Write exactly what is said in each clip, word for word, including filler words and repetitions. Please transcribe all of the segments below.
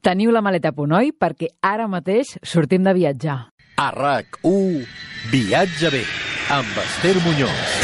Teniu la maleta a punt, oi? Perquè ara mateix sortim de viatjar. A RAC u, Viatge bé, amb Esther Muñoz.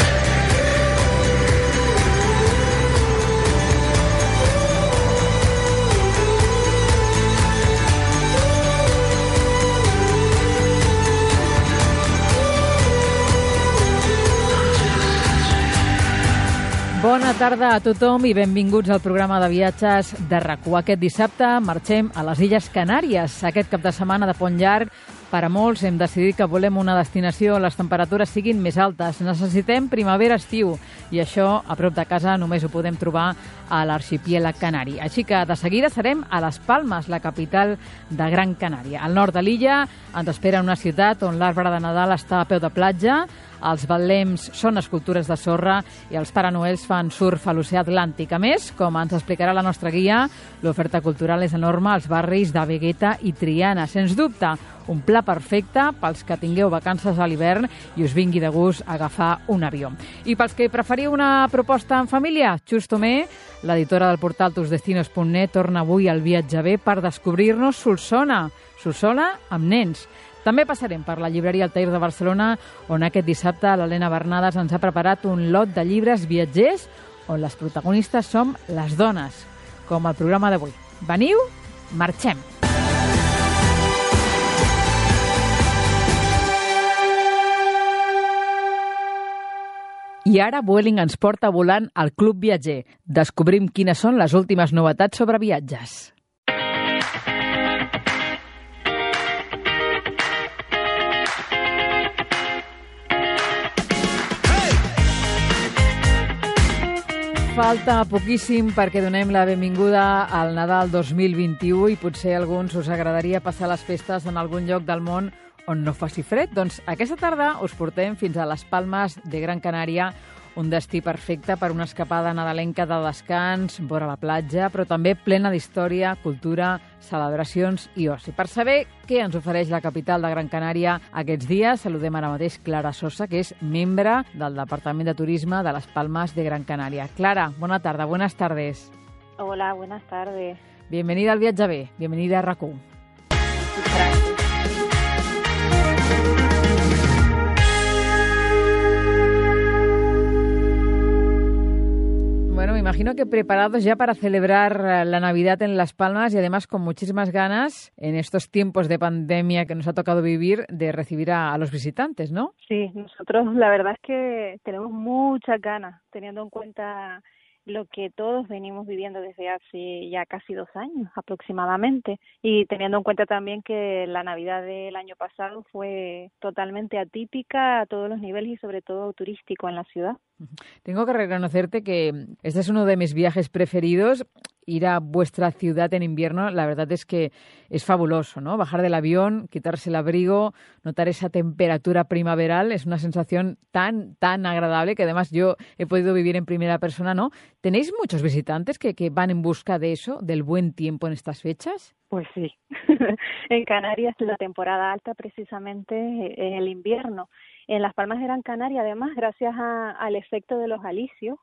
Bona tarda a tothom i benvinguts al programa de viatges de RAC u. Aquest dissabte marxem a les Illes Canàries. Aquest cap de setmana de pont llarg, per a molts hem decidit que volem una destinació on les temperatures siguin més altes. Necessitem primavera-estiu i això a prop de casa només ho podem trobar a l'arxipiélag canari. Així que de seguida serem a Les Palmes, la capital de Gran Canària. Al nord de l'illa ens espera una ciutat on l'arbre de Nadal està a peu de platja, els betlems són escultures de sorra i els Pare Noels fan surf a l'oceà Atlàntic. A més, com ens explicarà la nostra guia, l'oferta cultural és enorme als barris de Vegueta i Triana. Sens dubte, un pla perfecte pels que tingueu vacances a l'hivern i us vingui de gust agafar un avió. I pels que preferiu una proposta en família, Xus Tomé, l'editora del portal tus destinos punt net, torna avui al Viatge bé per descobrir-nos Solsona. Solsona amb nens. També passarem per la llibreria Altair de Barcelona, on aquest dissabte l'Helena Bernades ens ha preparat un lot de llibres viatgers on les protagonistes som les dones, com el programa d'avui. Veniu, marxem! I ara Vueling ens porta volant al Club Viatger. Descobrim quines són les últimes novetats sobre viatges. Falta poquíssim perquè donem la benvinguda al Nadal dos mil vint-i-u i potser a alguns us agradaria passar les festes en algun lloc del món on no faci fred. Doncs aquesta tarda us portem fins a Les Palmes de Gran Canària, un destí perfecte per una escapada nadalenca de descans, vora la platja, però també plena d'història, cultura, celebracions i oci. Per saber què ens ofereix la capital de Gran Canària aquests dies, saludem ara mateix Clara Sosa, que és membre del Departament de Turisme de Les Palmes de Gran Canària. Clara, bona tarda, buenas tardes. Hola, buenas tardes. Bienvenida al Viatge bé, bienvenida a RAC u. Gracias. Bueno, me imagino que preparados ya para celebrar la Navidad en Las Palmas y además con muchísimas ganas en estos tiempos de pandemia que nos ha tocado vivir de recibir a, a los visitantes, ¿no? Sí, nosotros la verdad es que tenemos muchas ganas, teniendo en cuenta lo que todos venimos viviendo desde hace ya casi dos años aproximadamente y teniendo en cuenta también que la Navidad del año pasado fue totalmente atípica a todos los niveles y sobre todo turístico en la ciudad. Tengo que reconocerte que este es uno de mis viajes preferidos. Ir a vuestra ciudad en invierno, la verdad es que es fabuloso, ¿no? Bajar del avión, quitarse el abrigo, notar esa temperatura primaveral, es una sensación tan, tan agradable que además yo he podido vivir en primera persona, ¿no? ¿Tenéis muchos visitantes que, que van en busca de eso, del buen tiempo en estas fechas? Pues sí. En Canarias la temporada alta precisamente es el invierno. En Las Palmas de Gran Canaria, además, gracias a, al efecto de los alisios,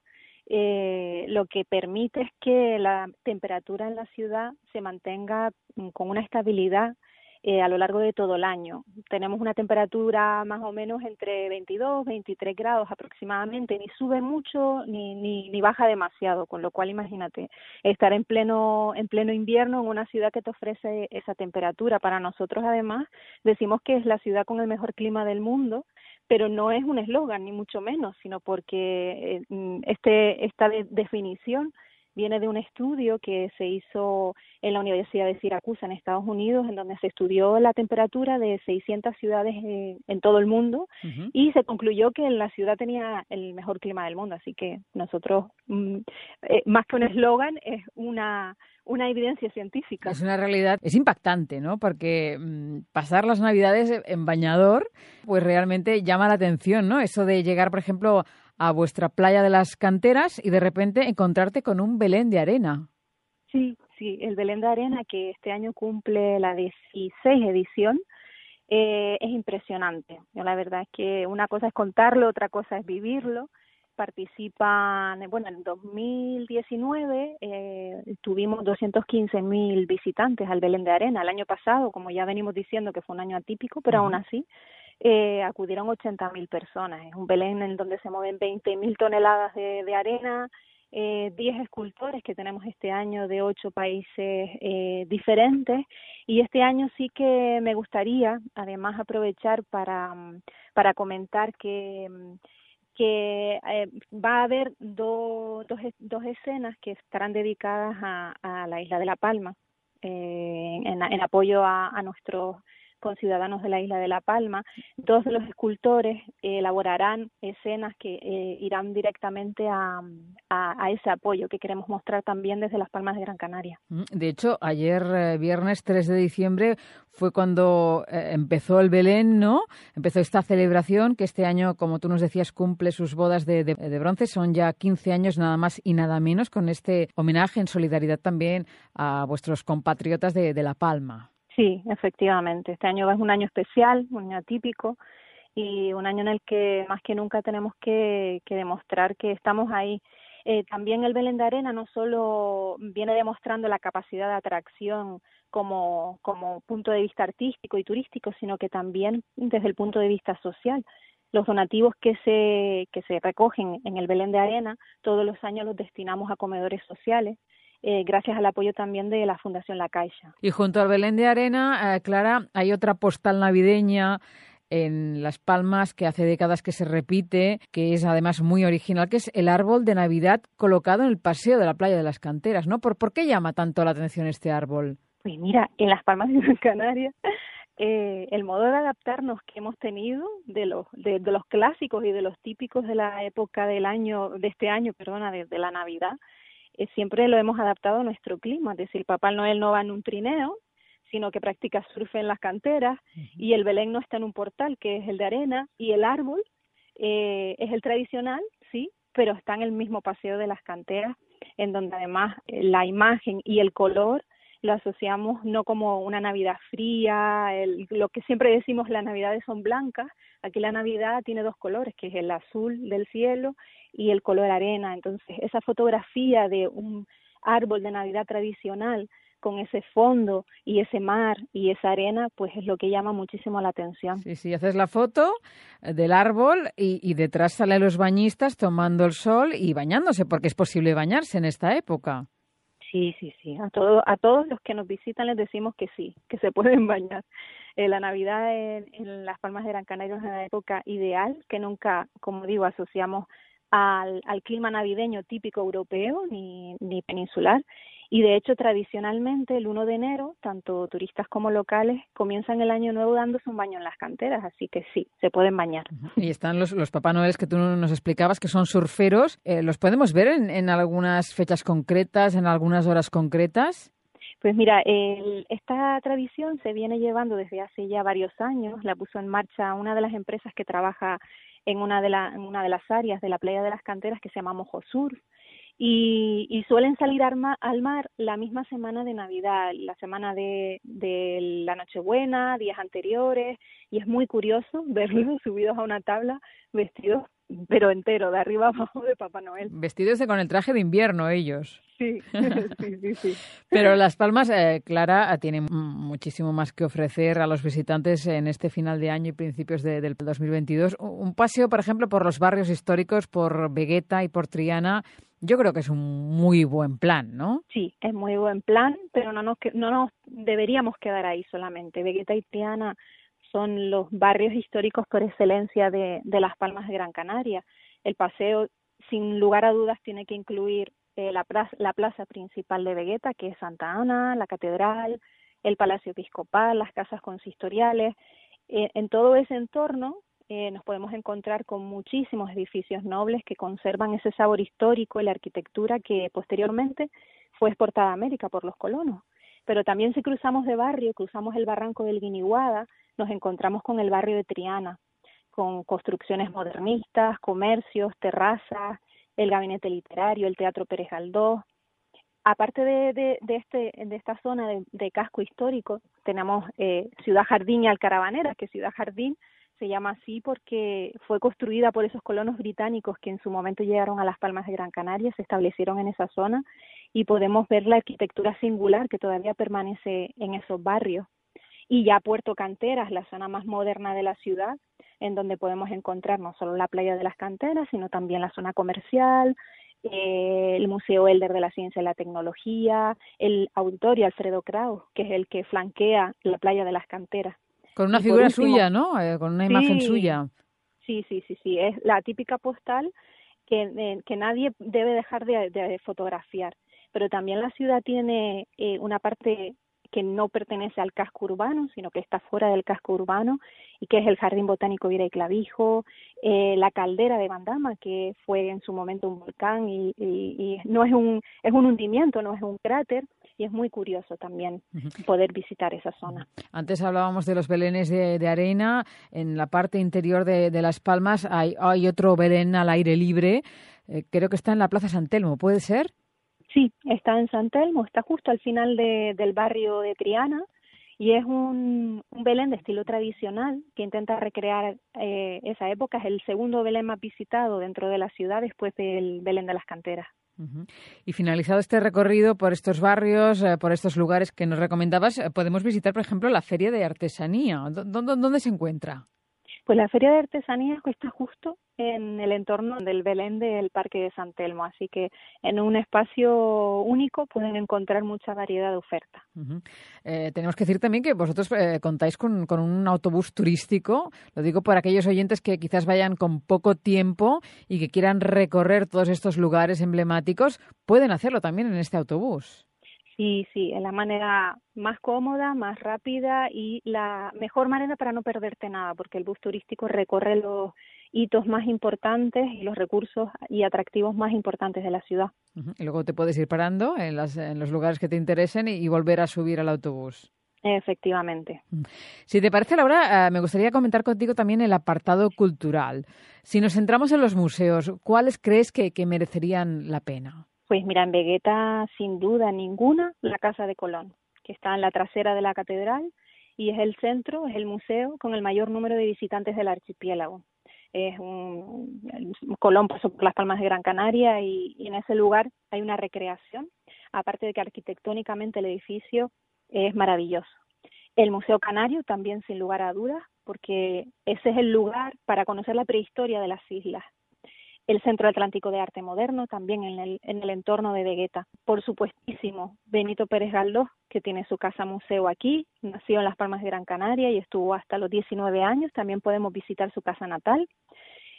Eh, lo que permite es que la temperatura en la ciudad se mantenga con una estabilidad eh, a lo largo de todo el año. Tenemos una temperatura más o menos entre veintidós, veintitrés grados aproximadamente, ni sube mucho ni, ni, ni baja demasiado, con lo cual imagínate, estar en pleno, en pleno invierno en una ciudad que te ofrece esa temperatura. Para nosotros además decimos que es la ciudad con el mejor clima del mundo, pero no es un eslogan, ni mucho menos, sino porque este esta de, definición viene de un estudio que se hizo en la Universidad de Siracusa, en Estados Unidos, en donde se estudió la temperatura de seiscientas ciudades en, en todo el mundo, uh-huh. Y se concluyó que la ciudad tenía el mejor clima del mundo. Así que nosotros, mm, eh, más que un eslogan, es una... una evidencia científica. Es una realidad, es impactante, ¿no? Porque mmm, pasar las Navidades en bañador, pues realmente llama la atención, ¿no? Eso de llegar, por ejemplo, a vuestra playa de las Canteras y de repente encontrarte con un Belén de arena. Sí, sí, el Belén de arena, que este año cumple la dieciséis edición, eh, es impresionante. Yo, la verdad es que una cosa es contarlo, otra cosa es vivirlo. participan, bueno, en dos mil diecinueve eh, tuvimos doscientos quince mil visitantes al Belén de Arena. El año pasado, como ya venimos diciendo que fue un año atípico, pero uh-huh. aún así eh, acudieron ochenta mil personas. Es un Belén en donde se mueven veinte mil toneladas de, de arena, eh, diez escultores que tenemos este año de ocho países eh, diferentes, y este año sí que me gustaría además aprovechar para, para comentar que que eh, va a haber do, dos, dos escenas que estarán dedicadas a, a la isla de La Palma, eh, en, en apoyo a, a nuestros conciudadanos de la isla de La Palma. Dos de los escultores eh, elaborarán escenas que eh, irán directamente a, a, a ese apoyo que queremos mostrar también desde Las Palmas de Gran Canaria. De hecho, ayer, eh, viernes tres de diciembre, fue cuando eh, empezó el Belén, ¿no? Empezó esta celebración que este año, como tú nos decías, cumple sus bodas de, de, de bronce. Son ya quince años nada más y nada menos, con este homenaje en solidaridad también a vuestros compatriotas de, de La Palma. Sí, efectivamente. Este año es un año especial, un año atípico y un año en el que más que nunca tenemos que, que demostrar que estamos ahí. Eh, también el Belén de Arena no solo viene demostrando la capacidad de atracción como, como punto de vista artístico y turístico, sino que también desde el punto de vista social. Los donativos que se, que se recogen en el Belén de Arena todos los años los destinamos a comedores sociales, Eh, gracias al apoyo también de la Fundación La Caixa. Y junto al Belén de Arena, eh, Clara, hay otra postal navideña en Las Palmas que hace décadas que se repite, que es además muy original, que es el árbol de Navidad colocado en el paseo de la playa de las Canteras, ¿no? ¿Por, por qué llama tanto la atención este árbol? Pues mira, en Las Palmas de Gran Canaria, eh, el modo de adaptarnos que hemos tenido de los de, de los clásicos y de los típicos de la época del año, de este año, perdona, de, de la Navidad, Eh, siempre lo hemos adaptado a nuestro clima, es decir, Papá Noel no va en un trineo, sino que practica surf en las canteras, uh-huh. y el Belén no está en un portal, que es el de arena, y el árbol eh, es el tradicional, sí, pero está en el mismo paseo de las canteras, en donde además eh, la imagen y el color lo asociamos no como una Navidad fría, el, lo que siempre decimos las Navidades son blancas, aquí la Navidad tiene dos colores, que es el azul del cielo y el color arena. Entonces esa fotografía de un árbol de Navidad tradicional con ese fondo y ese mar y esa arena, pues es lo que llama muchísimo la atención. Sí, sí, haces la foto del árbol y, y detrás salen los bañistas tomando el sol y bañándose, porque es posible bañarse en esta época. Sí, sí, sí. A todos, a todos los que nos visitan les decimos que sí, que se pueden bañar. Eh, la Navidad en, en Las Palmas de Gran Canaria es una época ideal que nunca, como digo, asociamos al, al clima navideño típico europeo ni, ni peninsular. Y de hecho, tradicionalmente, el uno de enero, tanto turistas como locales comienzan el año nuevo dándose un baño en las canteras, así que sí, se pueden bañar. Y están los, los Papá Noel que tú nos explicabas, que son surferos. Eh, ¿Los podemos ver en, en algunas fechas concretas, en algunas horas concretas? Pues mira, el, esta tradición se viene llevando desde hace ya varios años. La puso en marcha una de las empresas que trabaja en una de, la, en una de las áreas de la playa de las canteras, que se llama Mojosur. Y, y suelen salir al mar, al mar la misma semana de Navidad, la semana de, de la Nochebuena, días anteriores, y es muy curioso verlos subidos a una tabla vestidos, pero entero, de arriba abajo, de Papá Noel. Vestidos de, con el traje de invierno ellos. Sí, sí, sí, sí. Pero Las Palmas, eh, Clara, tiene muchísimo más que ofrecer a los visitantes en este final de año y principios de, del dos mil veintidós. Un paseo, por ejemplo, por los barrios históricos, por Vegueta y por Triana, yo creo que es un muy buen plan, ¿no? Sí, es muy buen plan, pero no nos, no nos deberíamos quedar ahí solamente. Vegueta y Triana son los barrios históricos por excelencia de, de Las Palmas de Gran Canaria. El paseo, sin lugar a dudas, tiene que incluir eh, la, plaza, la plaza principal de Vegueta, que es Santa Ana, la catedral, el Palacio Episcopal, las casas consistoriales. Eh, en todo ese entorno eh, nos podemos encontrar con muchísimos edificios nobles que conservan ese sabor histórico y la arquitectura que posteriormente fue exportada a América por los colonos. Pero también si cruzamos de barrio, cruzamos el barranco del Guiniguada, nos encontramos con el barrio de Triana, con construcciones modernistas, comercios, terrazas, el gabinete literario, el Teatro Pérez Galdós. Aparte de, de, de, este, de esta zona de, de casco histórico, tenemos eh, Ciudad Jardín y Alcaravanera, que Ciudad Jardín se llama así porque fue construida por esos colonos británicos que en su momento llegaron a las Palmas de Gran Canaria, se establecieron en esa zona y podemos ver la arquitectura singular que todavía permanece en esos barrios. Y ya Puerto Canteras, la zona más moderna de la ciudad, en donde podemos encontrar no solo la playa de las Canteras, sino también la zona comercial, eh, el Museo Elder de la Ciencia y la Tecnología, el Auditorio Alfredo Kraus, que es el que flanquea la playa de las Canteras. Con una Y figura último, suya, ¿no? Eh, con una sí, imagen suya. Sí, sí, sí, sí, es la típica postal que, eh, que nadie debe dejar de, de fotografiar. Pero también la ciudad tiene eh, una parte que no pertenece al casco urbano, sino que está fuera del casco urbano, y que es el Jardín Botánico Vira y Clavijo, eh, la caldera de Bandama, que fue en su momento un volcán, y, y, y no es un, es un hundimiento, no es un cráter, y es muy curioso también poder visitar esa zona. Antes hablábamos de los belenes de, de arena. En la parte interior de, de Las Palmas hay, hay otro belén al aire libre. Eh, creo que está en la Plaza San Telmo, ¿puede ser? Sí, está en San Telmo, está justo al final de, del barrio de Triana y es un, un Belén de estilo tradicional que intenta recrear eh, esa época. Es el segundo Belén más visitado dentro de la ciudad después del Belén de las Canteras. Uh-huh. Y finalizado este recorrido por estos barrios, eh, por estos lugares que nos recomendabas, eh, podemos visitar, por ejemplo, la Feria de Artesanía. ¿Dónde, dónde se encuentra? Pues la Feria de Artesanías está justo en el entorno del Belén del Parque de San Telmo, así que en un espacio único pueden encontrar mucha variedad de ofertas. Uh-huh. Eh, tenemos que decir también que vosotros eh, contáis con, con un autobús turístico, lo digo por aquellos oyentes que quizás vayan con poco tiempo y que quieran recorrer todos estos lugares emblemáticos, pueden hacerlo también en este autobús. Sí, sí, es la manera más cómoda, más rápida y la mejor manera para no perderte nada, porque el bus turístico recorre los hitos más importantes y los recursos y atractivos más importantes de la ciudad. Uh-huh. Y luego te puedes ir parando en, las, en los lugares que te interesen y, y volver a subir al autobús. Efectivamente. Si te parece, Laura, eh, me gustaría comentar contigo también el apartado cultural. Si nos centramos en los museos, ¿cuáles crees que, que merecerían la pena? Pues mira, en Vegueta, sin duda ninguna, la Casa de Colón, que está en la trasera de la catedral y es el centro, es el museo con el mayor número de visitantes del archipiélago. Es un, Colón pasó por las Palmas de Gran Canaria y, y en ese lugar hay una recreación, aparte de que arquitectónicamente el edificio es maravilloso. El Museo Canario también, sin lugar a dudas, porque ese es el lugar para conocer la prehistoria de las islas. El Centro Atlántico de Arte Moderno, también en el, en el entorno de Vegueta. Por supuestísimo, Benito Pérez Galdós, que tiene su casa museo aquí, nació en las Palmas de Gran Canaria y estuvo hasta los diecinueve años, también podemos visitar su casa natal.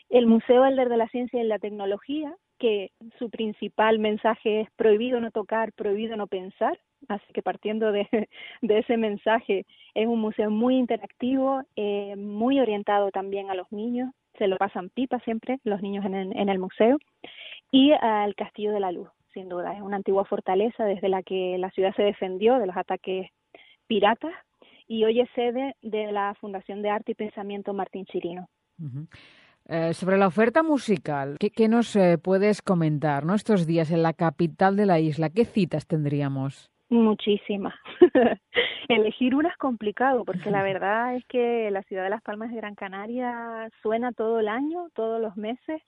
El Museo Elder de la Ciencia y la Tecnología, que su principal mensaje es prohibido no tocar, prohibido no pensar, así que partiendo de, de ese mensaje, es un museo muy interactivo, eh, muy orientado también a los niños, se lo pasan pipa siempre los niños en el, en el museo, y al Castillo de la Luz, sin duda, es una antigua fortaleza desde la que la ciudad se defendió de los ataques piratas y hoy es sede de la Fundación de Arte y Pensamiento Martín Chirino. Uh-huh. Eh, sobre la oferta musical, ¿qué, qué nos eh, puedes comentar, ¿no? Estos días en la capital de la isla? ¿Qué citas tendríamos? Muchísimas. Elegir una es complicado porque la verdad es que la ciudad de Las Palmas de Gran Canaria suena todo el año, todos los meses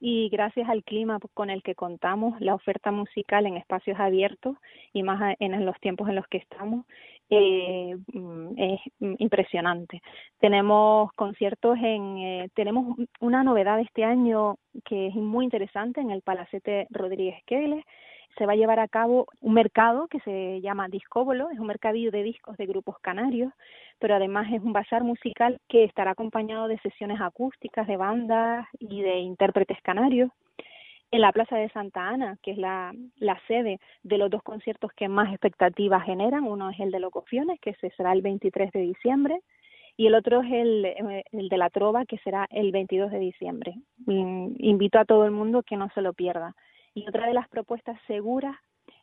y gracias al clima con el que contamos, la oferta musical en espacios abiertos y más en los tiempos en los que estamos eh, es impresionante. Tenemos conciertos en, eh, tenemos una novedad este año que es muy interesante en el Palacete Rodríguez Queles. Se va a llevar a cabo un mercado que se llama Discóbolo, es un mercadillo de discos de grupos canarios, pero además es un bazar musical que estará acompañado de sesiones acústicas de bandas y de intérpretes canarios. En la Plaza de Santa Ana, que es la, la sede de los dos conciertos que más expectativas generan, uno es el de Locofiones, que se será el veintitrés de diciembre, y el otro es el, el de La Trova, que será el veintidós de diciembre. Invito a todo el mundo que no se lo pierda. Y otra de las propuestas seguras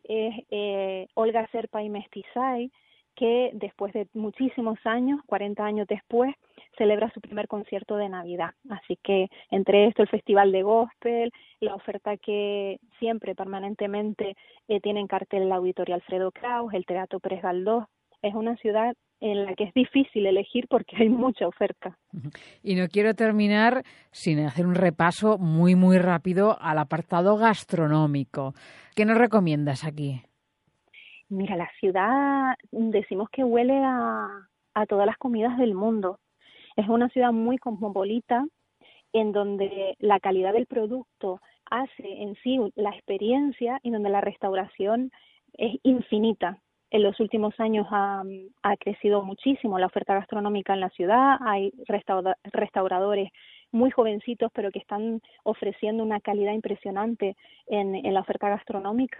es eh, Olga Serpa y Mestizay, que después de muchísimos años, cuarenta años después, celebra su primer concierto de Navidad. Así que entre esto el Festival de Gospel, la oferta que siempre permanentemente eh, tiene en cartel el Auditorio Alfredo Kraus, el Teatro Pérez Galdós, es una ciudad en la que es difícil elegir porque hay mucha oferta. Y no quiero terminar sin hacer un repaso muy, muy rápido al apartado gastronómico. ¿Qué nos recomiendas aquí? Mira, la ciudad decimos que huele a, a todas las comidas del mundo. Es una ciudad muy cosmopolita, en donde la calidad del producto hace en sí la experiencia y donde la restauración es infinita. En los últimos años ha, ha crecido muchísimo la oferta gastronómica en la ciudad. Hay restaura, restauradores muy jovencitos, pero que están ofreciendo una calidad impresionante en, en la oferta gastronómica.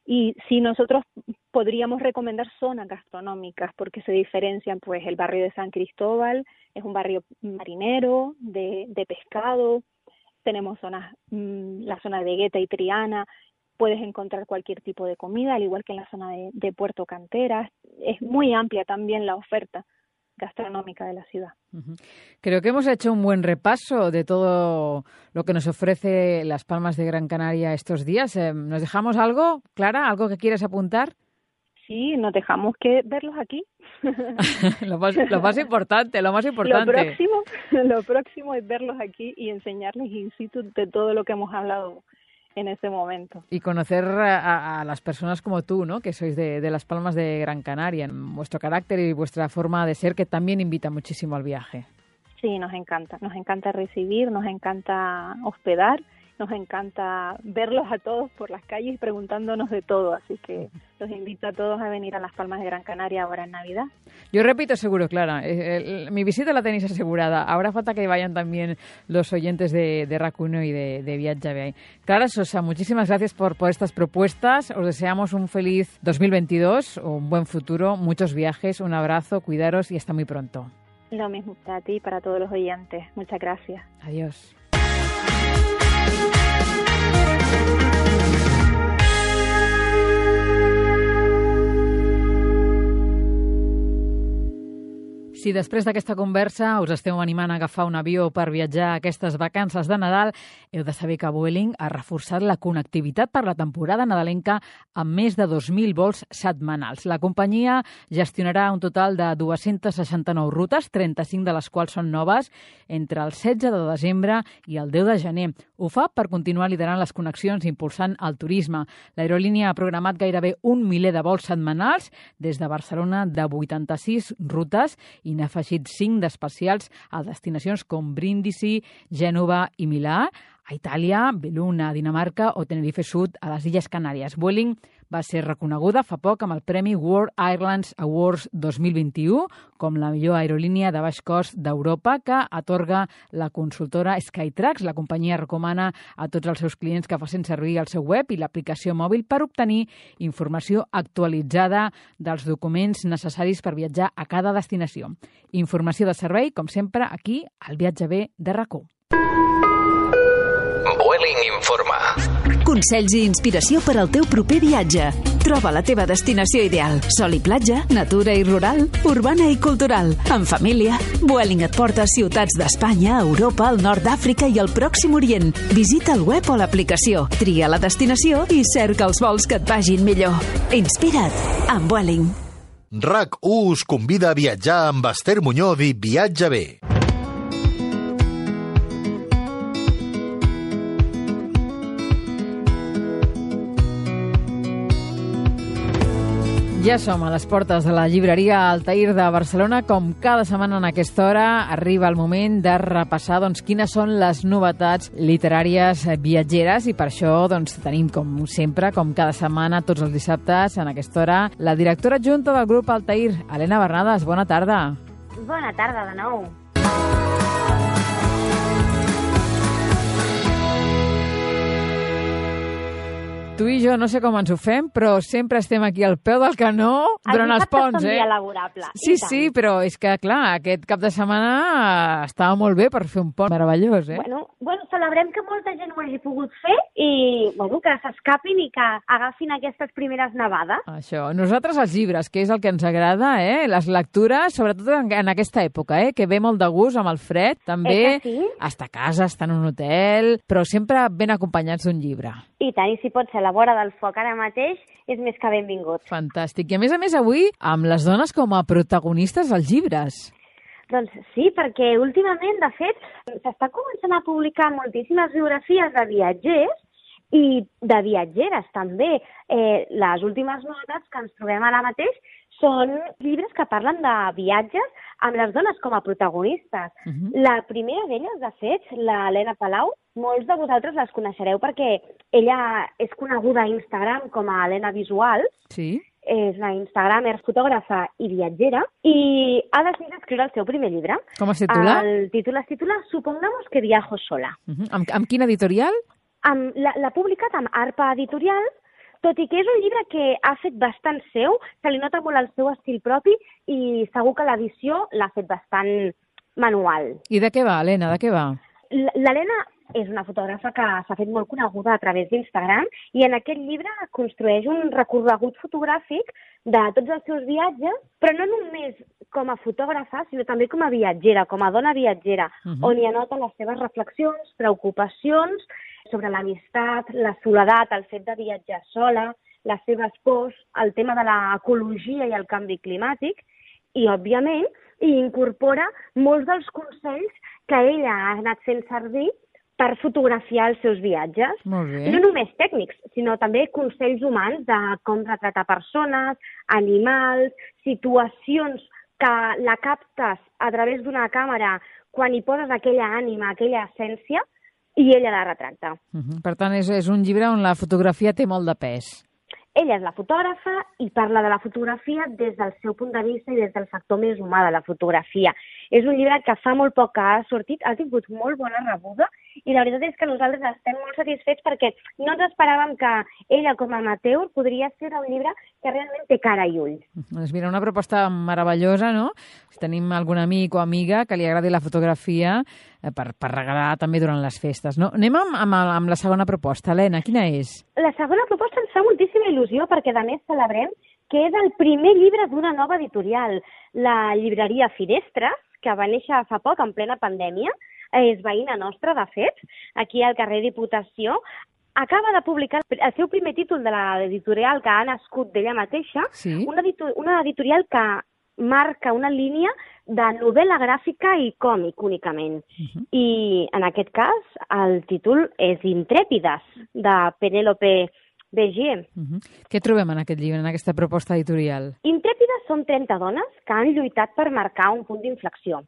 Y si nosotros podríamos recomendar zonas gastronómicas, porque se diferencian, pues el barrio de San Cristóbal es un barrio marinero, de, de pescado. Tenemos zonas, mmm, la zona de Gueta y Triana, puedes encontrar cualquier tipo de comida, al igual que en la zona de, de Puerto Canteras. Es muy amplia también la oferta gastronómica de la ciudad. Uh-huh. Creo que hemos hecho un buen repaso de todo lo que nos ofrece Las Palmas de Gran Canaria estos días. Eh, ¿Nos dejamos algo, Clara? ¿Algo que quieres apuntar? Sí, nos dejamos que verlos aquí. lo, más, lo más importante, lo más importante. Lo próximo, lo próximo es verlos aquí y enseñarles in situ de todo lo que hemos hablado en ese momento. Y conocer a, a las personas como tú, ¿no? Que sois de, de Las Palmas de Gran Canaria, vuestro carácter y vuestra forma de ser, que también invita muchísimo al viaje. Sí, nos encanta, nos encanta recibir, nos encanta hospedar, nos encanta verlos a todos por las calles preguntándonos de todo, así que los invito a todos a venir a Las Palmas de Gran Canaria ahora en Navidad. Yo repito seguro, Clara, el, el, mi visita la tenéis asegurada. Ahora falta que vayan también los oyentes de, de RAC uno y de, de Viatge Bé. Clara Sosa, muchísimas gracias por, por estas propuestas. Os deseamos un feliz dos mil veintidós, un buen futuro, muchos viajes, un abrazo, cuidaros y hasta muy pronto. Lo mismo para ti y para todos los oyentes. Muchas gracias. Adiós. Si després d'aquesta conversa us esteu animant a agafar un avió per viatjar aquestes vacances de Nadal, heu de saber que Vueling ha reforçat la connectivitat per la temporada nadalenca amb més de dos mil vols setmanals. La companyia gestionarà un total de dues-centes seixanta-nou rutes, trenta-cinc de les quals són noves, entre el setze de desembre i el deu de gener. Ho fa per continuar liderant les connexions i impulsant el turisme. L'aerolínia ha programat gairebé un miler de vols setmanals des de Barcelona, de vuitanta-sis rutes, i n'ha afegit cinc d'especials a destinacions com Brindisi, Gènova i Milà, a Itàlia, Beluna, a Dinamarca o Tenerife Sud, a les Illes Canàries. Vueling va ser reconeguda fa poc amb el Premi World Airlines Awards dos mil vint-i-u com la millor aerolínia de baix cost d'Europa, que atorga la consultora Skytrax. La companyia recomana a tots els seus clients que facin servir el seu web i l'aplicació mòbil per obtenir informació actualitzada dels documents necessaris per viatjar a cada destinació. Informació de servei, com sempre, aquí al Viatge Bé de RAC u. Vueling informa. Consells i inspiració per al teu proper viatge. Troba la teva destinació ideal. Sol i platja, natura i rural, urbana i cultural. En família, Vueling et porta a ciutats d'Espanya, Europa, el nord d'Àfrica i el Pròxim Orient. Visita el web o l'aplicació, tria la destinació i cerca els vols que et vagin millor. Inspira't amb Vueling. RAC u us convida a viatjar amb Esther Muñoz i Viatge Bé. Ja som a les portes de la llibreria Altair de Barcelona. Com cada setmana en aquesta hora arriba el moment de repassar doncs, quines són les novetats literàries viatgeres, i per això doncs, tenim, com sempre, com cada setmana, tots els dissabtes, en aquesta hora, la directora adjunta del grup Altair, Helena Bernades. Bona tarda. Bona tarda de nou. Tu i jo no sé com ens ho fem, però sempre estem aquí al peu del canó durant els ponts, eh? El dia laborable. Sí, sí, però és que, clar, aquest cap de setmana estava molt bé per fer un pont meravellós, eh? Bueno, bueno, celebrem que molta gent ho hagi pogut fer i, bueno, que s'escapin i que agafin aquestes primeres nevades. Això. Nosaltres els llibres, que és el que ens agrada, eh? Les lectures, sobretot en, en aquesta època, eh? Que ve molt de gust amb el fred, també. Eh que sí? Estar a casa, estar en un hotel, però sempre ben acompanyats d'un llibre. I tant, i si pot ser a la vora del foc ara mateix és més que benvingut. Fantàstic. I a més a més avui amb les dones com a protagonistes als llibres. Doncs sí, perquè últimament, de fet, s'està començant a publicar moltíssimes biografies de viatgers i de viatgeres també. Eh, les últimes novetats que ens trobem ara mateix són llibres que parlen de viatges amb les dones com a protagonistes. Uh-huh. La primera d'elles, de fet, la Helena Palau, molts de vosaltres les coneixereu perquè ella és coneguda a Instagram com a Helena Visual. Sí. És una instagramer, fotògrafa i viatgera, i ha decidit escriure el seu primer llibre. Com es titula? El títol es titula Supongamos que viajo sola. Uh-huh. Amb, amb quin editorial? Amb, l'ha publicat amb Arpa Editorial, tot i que és un llibre que ha fet bastant seu, se li nota molt el seu estil propi i segur que l'edició l'ha fet bastant manual. I de què va, Helena, de què va? L'Helena és una fotògrafa que s'ha fet molt coneguda a través d'Instagram i en aquest llibre construeix un recorregut fotogràfic de tots els seus viatges, però no només com a fotògrafa, sinó també com a viatgera, com a dona viatgera, uh-huh. on hi anota les seves reflexions, preocupacions sobre l'amistat, la soledat, el fet de viatjar sola, les seves pors, el tema de l'ecologia i el canvi climàtic, i, òbviament, hi incorpora molts dels consells que ella ha anat fent servir per fotografiar els seus viatges. Molt bé. No només tècnics, sinó també consells humans de com retratar persones, animals, situacions que la captes a través d'una càmera quan hi poses aquella ànima, aquella essència, i ella la retracta. Uh-huh. Per tant, és, és un llibre on la fotografia té molt de pes. Ella és la fotògrafa i parla de la fotografia des del seu punt de vista i des del factor més humà de la fotografia. És un llibre que fa molt poc que ha sortit, ha tingut molt bona rebuda i la veritat és que nosaltres estem molt satisfets perquè no ens esperàvem que ella com a amateur podria ser un llibre que realment té cara i ulls. Doncs mira, una proposta meravellosa, no? Si tenim algun amic o amiga que li agradi la fotografia eh, per, per regalar també durant les festes, no? Anem amb, amb, amb la segona proposta. Helena, quina és? La segona proposta ens fa moltíssima il·lusió perquè a més celebrem que és el primer llibre d'una nova editorial, la llibreria Finestres, que va néixer fa poc, en plena pandèmia, és veïna nostra, de fet, aquí al carrer Diputació, acaba de publicar el seu primer títol de l'editorial que ha nascut d'ella mateixa, sí? una, editor una editorial que marca una línia de novel·la gràfica i còmic únicament. Uh-huh. I en aquest cas el títol és Intrèpides, de Penélope Begier. Uh-huh. Què trobem en aquest llibre, en aquesta proposta editorial? Intrèpides són trenta dones que han lluitat per marcar un punt d'inflexió.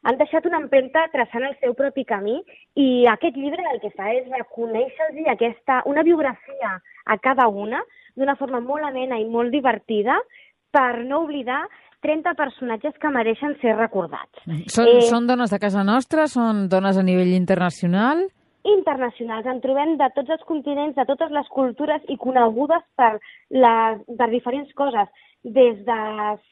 Han deixat una empremta traçant el seu propi camí i aquest llibre el que fa és reconèixer-los aquesta, una biografia a cada una d'una forma molt amena i molt divertida per no oblidar trenta personatges que mereixen ser recordats. Són, eh, són dones de casa nostra? Són dones a nivell internacional? Internacionals. En trobem de tots els continents, de totes les cultures i conegudes per, les, per diferents coses, des de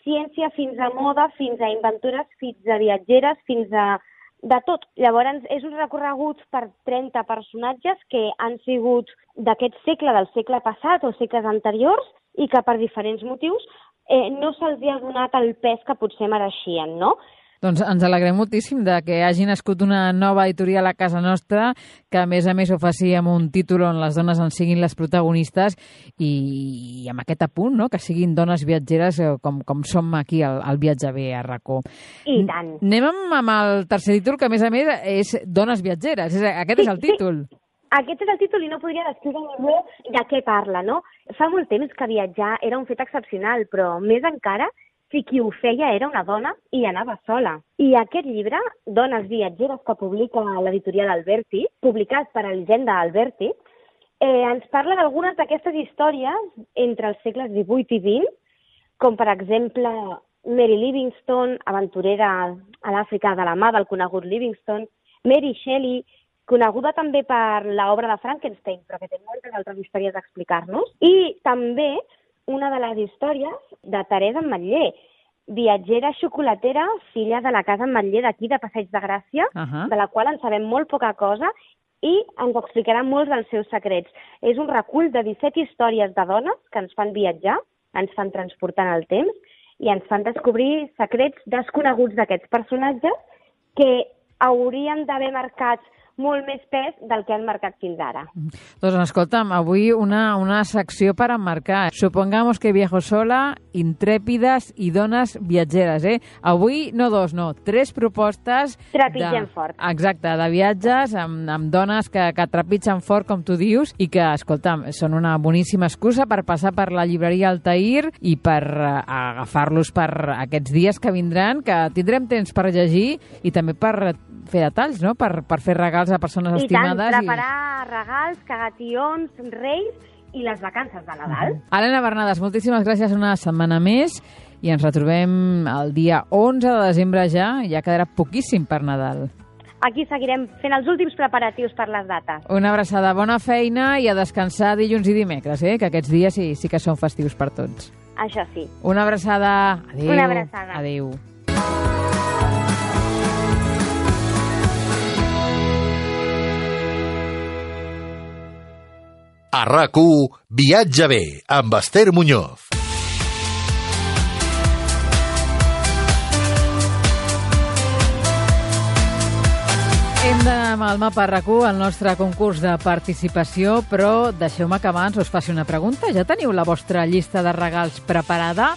ciència fins a moda, fins a inventores, fins a viatgeres, fins a de tot. Llavors, és un recorregut per trenta personatges que han sigut d'aquest segle, del segle passat o segles anteriors i que per diferents motius eh, no se'ls ha donat el pes que potser mereixien, no? Doncs ens alegrem moltíssim de que hagi nascut una nova editorial a casa nostra que, a més a més, ho faci amb un títol on les dones en siguin les protagonistes i, i amb aquest apunt, no?, que siguin dones viatgeres com, com som aquí al, al Viatge Bé a RACó. I tant. Anem amb, amb el tercer títol, que, a més a més, és Dones viatgeres. És, aquest sí, és el títol. Sí. Aquest és el títol i no podria descriure ningú de què parla, no? Fa molt temps que viatjar era un fet excepcional, però més encara si qui ho feia era una dona i anava sola. I aquest llibre, Dones viatgeres, que publica l'editorial Alberti, publicat per Elisenda Alberti, eh, ens parla d'algunes d'aquestes històries entre els segles divuit i vint, com per exemple Mary Livingstone, aventurera a l'Àfrica de la mà del conegut Livingstone, Mary Shelley, coneguda també per l'obra de Frankenstein, però que té moltes altres històries a explicar-nos, i també una de les històries de Teresa Ametller, viatgera xocolatera, filla de la casa Ametller d'aquí, de Passeig de Gràcia, uh-huh. de la qual en sabem molt poca cosa i ens explicarà molts dels seus secrets. És un recull de disset històries de dones que ens fan viatjar, ens fan transportar en el temps i ens fan descobrir secrets desconeguts d'aquests personatges que haurien d'haver marcat molt més pes del que han marcat fins ara. Doncs escolta'm, avui una, una secció per emmarcar. Supongamos que viajo sola, intrèpides i dones viatgeres, eh? Avui no dos, no, tres propostes... Trepitgen de, fort. Exacte, de viatges amb, amb dones que, que trepitgen fort, com tu dius, i que, escolta'm, són una boníssima excusa per passar per la llibreria Altair i per uh, agafar-los per aquests dies que vindran, que tindrem temps per llegir i també per fer detalls, no? Per, per fer regals a persones I estimades. tant, preparar i... regals, cagations, reis i les vacances de Nadal. Uh-huh. Helena Bernades, moltíssimes gràcies una setmana més i ens retrobem el dia onze de desembre ja, ja quedarà poquíssim per Nadal. Aquí seguirem fent els últims preparatius per les dates. Una abraçada, bona feina i a descansar dilluns i dimecres, eh? Que aquests dies sí, sí que són festius per tots. Això sí. Una abraçada. Adéu. Una abraçada. Adéu. A RAC u, Viatge bé, amb Esther Muñoz. Hem d'anar amb el mapa RAC u al nostre concurs de participació, però deixeu-me que abans us faci una pregunta. Ja teniu la vostra llista de regals preparada?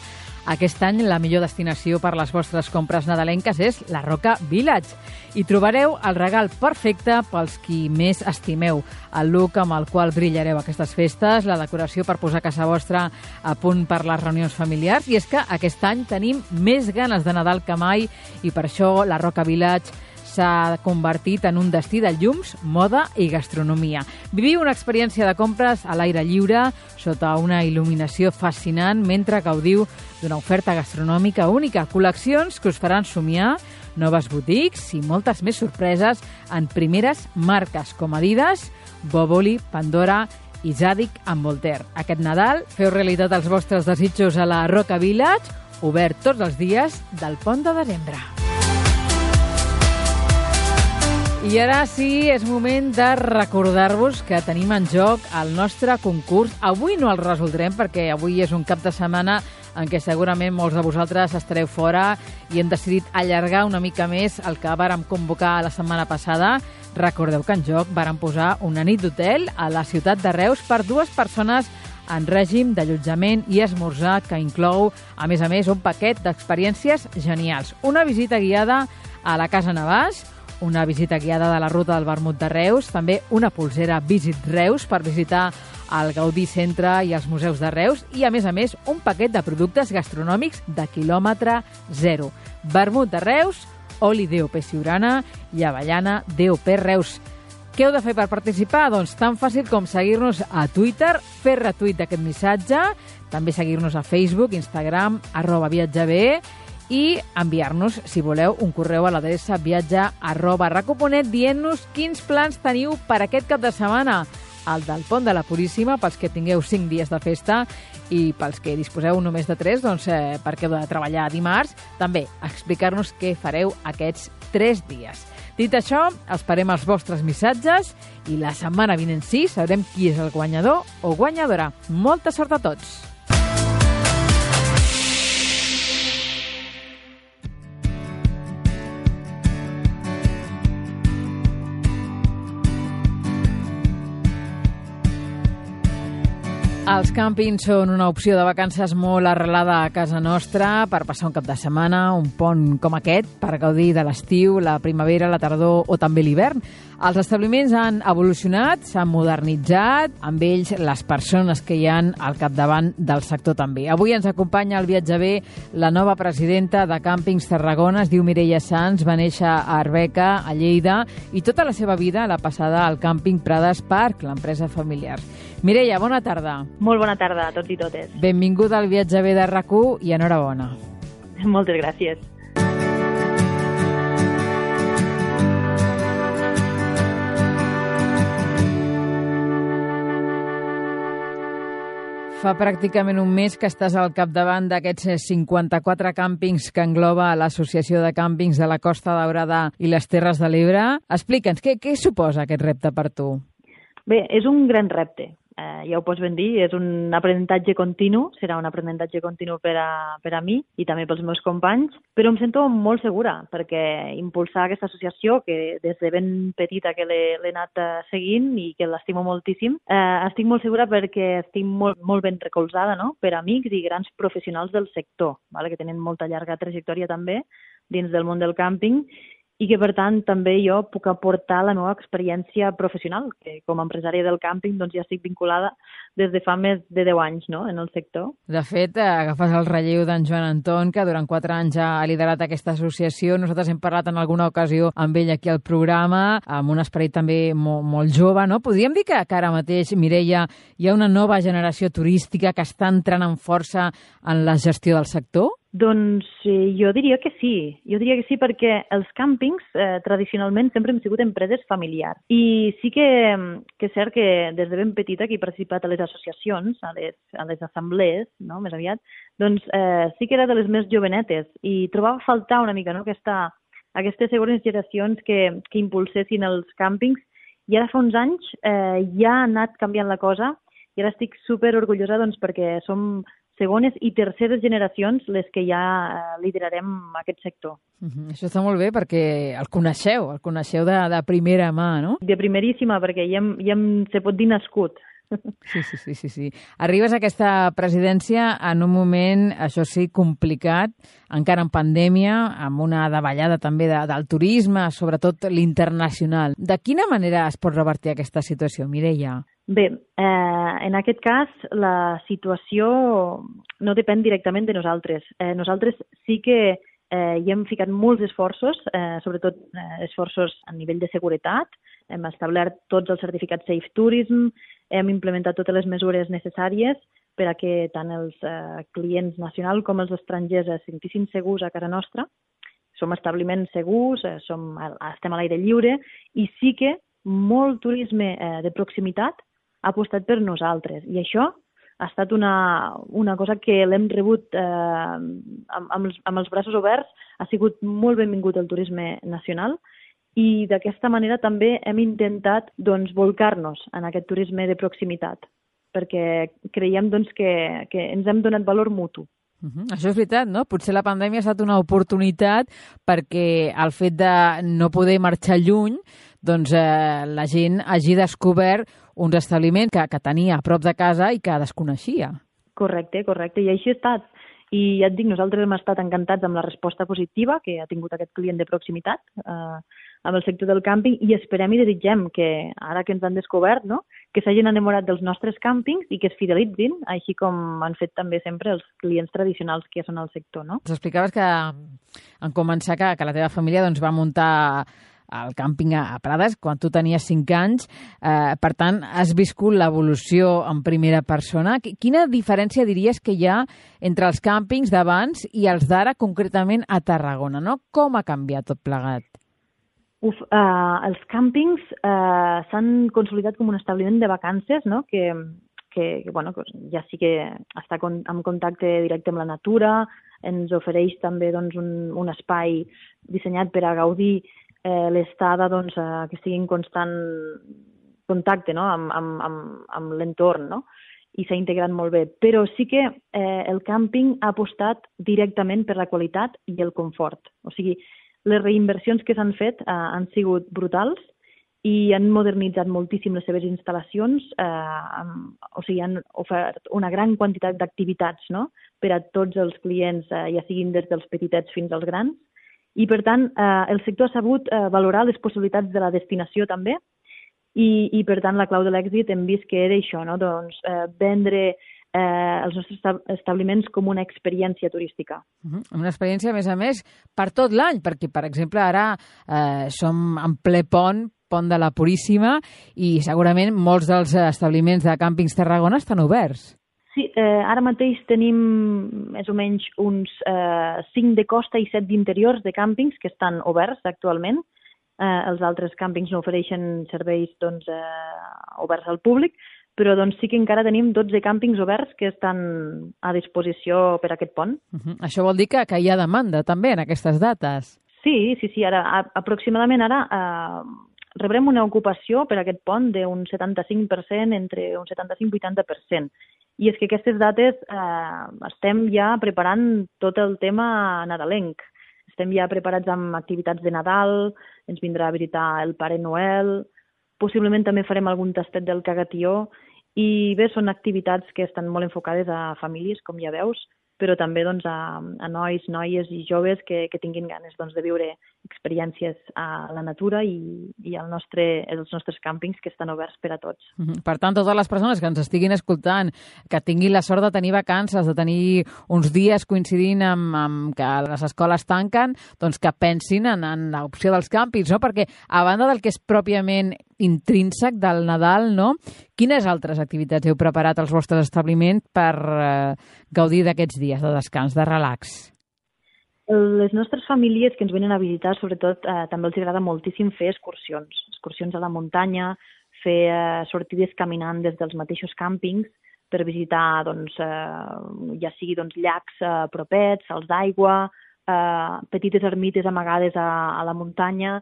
Aquest any la millor destinació per les vostres compres nadalenques és la Roca Village. Hi trobareu el regal perfecte pels qui més estimeu, el look amb el qual brillareu aquestes festes, la decoració per posar casa vostra a punt per les reunions familiars. I és que aquest any tenim més ganes de Nadal que mai i per això la Roca Village s'ha convertit en un destí de llums, moda i gastronomia. Viviu una experiència de compres a l'aire lliure, sota una il·luminació fascinant, mentre gaudiu d'una oferta gastronòmica única, col·leccions que us faran somiar, noves boutiques i moltes més sorpreses en primeres marques com Adidas, Boboli, Pandora i Zadig amb Voltaire. Aquest Nadal feu realitat els vostres desitjos a la Roca Village, obert tots els dies del pont de desembre. I ara sí, és moment de recordar-vos que tenim en joc el nostre concurs. Avui no el resoldrem perquè avui és un cap de setmana en què segurament molts de vosaltres estareu fora i hem decidit allargar una mica més el que vàrem convocar la setmana passada. Recordeu que en joc vàrem posar una nit d'hotel a la ciutat de Reus per dues persones en règim d'allotjament i esmorzar que inclou, a més a més, un paquet d'experiències genials. Una visita guiada a la Casa Navàs, una visita guiada de la ruta del vermut de Reus, també una pulsera Visit Reus per visitar el Gaudí Centre i els museus de Reus i, a més a més, un paquet de productes gastronòmics de quilòmetre zero. Vermut de Reus, oli D O P Siurana i avellana D O P Reus. Què heu de fer per participar? Doncs tan fàcil com seguir-nos a Twitter, fer retuit d'aquest missatge, també seguir-nos a Facebook, Instagram, arroba viatjabé, i enviar-nos, si voleu, un correu a l'adreça viatge arroba rac u punt net dient-nos quins plans teniu per aquest cap de setmana. El del Pont de la Puríssima, pels que tingueu cinc dies de festa, i pels que disposeu només de tres, doncs eh, perquè heu de treballar dimarts, també explicar-nos què fareu aquests tres dies. Dit això, esperem els vostres missatges i la setmana vinent sí sabrem qui és el guanyador o guanyadora. Molta sort a tots! Els càmpings són una opció de vacances molt arrelada a casa nostra per passar un cap de setmana, un pont com aquest, per gaudir de l'estiu, la primavera, la tardor o també l'hivern. Els establiments han evolucionat, s'han modernitzat, amb ells les persones que hi han al capdavant del sector també. Avui ens acompanya al Viatge Bé la nova presidenta de Càmpings Tarragona, es diu Mireia Sans, va néixer a Arbeca, a Lleida, i tota la seva vida l'ha passada al càmping Prades Park, l'empresa familiar. Mireia, bona tarda. Molt bona tarda a tots i totes. Benvinguda al Viatge Bé de RAC u i enhorabona. Moltes gràcies. Fa pràcticament un mes que estàs al capdavant d'aquests cinquanta-quatre càmpings que engloba l'Associació de Càmpings de la Costa Daurada i les Terres de l'Ebre. Explica'ns, què, què suposa aquest repte per tu? Bé, és un gran repte. eh, ja ho pots ben dir, és un aprenentatge continu, serà un aprenentatge continu per a, per a mi i també pels meus companys, però em sento molt segura perquè impulsar aquesta associació, que des de ben petita que l'he, l'he anat eh, seguint i que l'estimo moltíssim, eh, estic molt segura perquè estic molt, molt ben recolzada, no?, per amics i grans professionals del sector, vale? Que tenen molta llarga trajectòria també dins del món del càmping, i que, per tant, també jo puc aportar la meva experiència professional, que com a empresària del càmping doncs, ja estic vinculada des de fa més de deu anys, no?, en el sector. De fet, agafes el relleu d'en Joan Anton, que durant quatre anys ha liderat aquesta associació. Nosaltres hem parlat en alguna ocasió amb ell aquí al programa, amb un esperit també molt, molt jove, no? Podríem dir que, que ara mateix, Mireia, hi ha una nova generació turística que està entrant amb força en la gestió del sector? Doncs eh, jo diria que sí, jo diria que sí perquè els càmpings eh, tradicionalment sempre hem sigut empreses familiars i sí que, que és cert que des de ben petita que he participat a les associacions, a les, a les assemblees, no?, més aviat, doncs eh, sí que era de les més jovenetes i trobava a faltar una mica, no?, aquesta, aquestes segones generacions que, que impulsessin els càmpings i ara fa uns anys eh, ja ha anat canviant la cosa i ara estic super orgullosa doncs, perquè som segones i terceres generacions les que ja liderarem aquest sector. Uh-huh. Això està molt bé perquè el coneixeu, el coneixeu de, de primera mà, no? De primeríssima, perquè ja, hem, ja hem, se pot dir nascut. Sí, sí, sí, sí, sí. Arribes a aquesta presidència en un moment, això sí, complicat, encara en pandèmia, amb una davallada també de, del turisme, sobretot l'internacional. De quina manera es pot revertir aquesta situació, Mireia? Bé, eh, en aquest cas la situació no depèn directament de nosaltres. Eh, nosaltres sí que eh, hi hem ficat molts esforços, eh, sobretot eh, esforços a nivell de seguretat. Hem establert tots els certificats Safe Tourism, hem implementat totes les mesures necessàries per a que tant els eh, clients nacionals com els estrangers es sentissin segurs a casa nostra. Som establiments segurs, eh, som, estem a l'aire lliure i sí que molt turisme eh, de proximitat ha apostat per nosaltres. I això ha estat una, una cosa que l'hem rebut eh, amb, amb, els, amb els braços oberts. Ha sigut molt benvingut el turisme nacional i d'aquesta manera també hem intentat doncs, volcar-nos en aquest turisme de proximitat perquè creiem doncs, que, que ens hem donat valor mutu. Uh-huh. Això és veritat, no? Potser la pandèmia ha estat una oportunitat perquè el fet de no poder marxar lluny doncs eh, la gent hagi descobert uns establiments que, que tenia a prop de casa i que desconeixia. Correcte, correcte. I així ha estat. I ja et dic, nosaltres hem estat encantats amb la resposta positiva que ha tingut aquest client de proximitat eh, amb el sector del càmping i esperem i desitgem que ara que ens han descobert, no?, que s'hagin enamorat dels nostres càmpings i que es fidelitzin, així com han fet també sempre els clients tradicionals que són al sector, no? Ens explicaves que en començar que, que la teva família doncs, va muntar al càmping a Prades quan tu tenies cinc anys. Eh, per tant, has viscut l'evolució en primera persona. Quina diferència diries que hi ha entre els càmpings d'abans i els d'ara, concretament a Tarragona, no? Com ha canviat tot plegat? Uf, eh, els càmpings eh, s'han consolidat com un establiment de vacances, no?, que, que, que bueno, ja sí que està con, en contacte directe amb la natura, ens ofereix també doncs, un, un espai dissenyat per a gaudir eh, l'estada doncs, eh, que estigui en constant contacte, no?, amb, amb, amb, amb l'entorn, no?, i s'ha integrat molt bé. Però sí que eh, el càmping ha apostat directament per la qualitat i el confort. O sigui, les reinversions que s'han fet eh, han sigut brutals i han modernitzat moltíssim les seves instal·lacions, eh, amb, o sigui, han ofert una gran quantitat d'activitats, no?, per a tots els clients, eh, ja siguin des dels petitets fins als grans. I, per tant, eh, el sector ha sabut eh, valorar les possibilitats de la destinació també i, i per tant, la clau de l'èxit hem vist que era això, no?, doncs, eh, vendre eh, els nostres establiments com una experiència turística. Uh-huh. Una experiència, a més a més, per tot l'any, perquè, per exemple, ara eh, som en ple pont, pont de la Puríssima, i segurament molts dels establiments de càmpings Tarragona estan oberts. Sí, eh, ara mateix tenim més o menys uns eh, cinc de costa i set d'interiors de càmpings que estan oberts actualment. Eh, els altres càmpings no ofereixen serveis doncs, eh, oberts al públic, però doncs, sí que encara tenim dotze càmpings oberts que estan a disposició per a aquest pont. Uh-huh. Això vol dir que, que hi ha demanda també en aquestes dates. Sí, sí, sí. Ara, a, aproximadament ara, eh, rebrem una ocupació per aquest pont d'un setanta-cinc per cent, entre un setanta-cinc i vuitanta per cent. I és que aquestes dates eh, estem ja preparant tot el tema nadalenc. Estem ja preparats amb activitats de Nadal, ens vindrà a visitar el Pare Noel, possiblement també farem algun tastet del cagatió, i bé, són activitats que estan molt enfocades a famílies, com ja veus, però també doncs, a, a nois, noies i joves que, que tinguin ganes doncs, de viure experiències a la natura i, i al nostre, els nostres càmpings que estan oberts per a tots. Mm-hmm. Per tant, totes les persones que ens estiguin escoltant, que tinguin la sort de tenir vacances, de tenir uns dies coincidint amb, amb que les escoles tanquen, doncs que pensin en, en l'opció dels càmpings, no? Perquè a banda del que és pròpiament intrínsec del Nadal, no? Quines altres activitats heu preparat als vostres establiments per eh, gaudir d'aquests dies de descans, de relax? Les nostres famílies que ens venen a visitar, sobretot, eh, també els agrada moltíssim fer excursions. Excursions a la muntanya, fer eh, sortides caminant des dels mateixos càmpings per visitar, doncs, eh, ja sigui doncs, llacs eh, propets, salts d'aigua, eh, petites ermites amagades a, a la muntanya,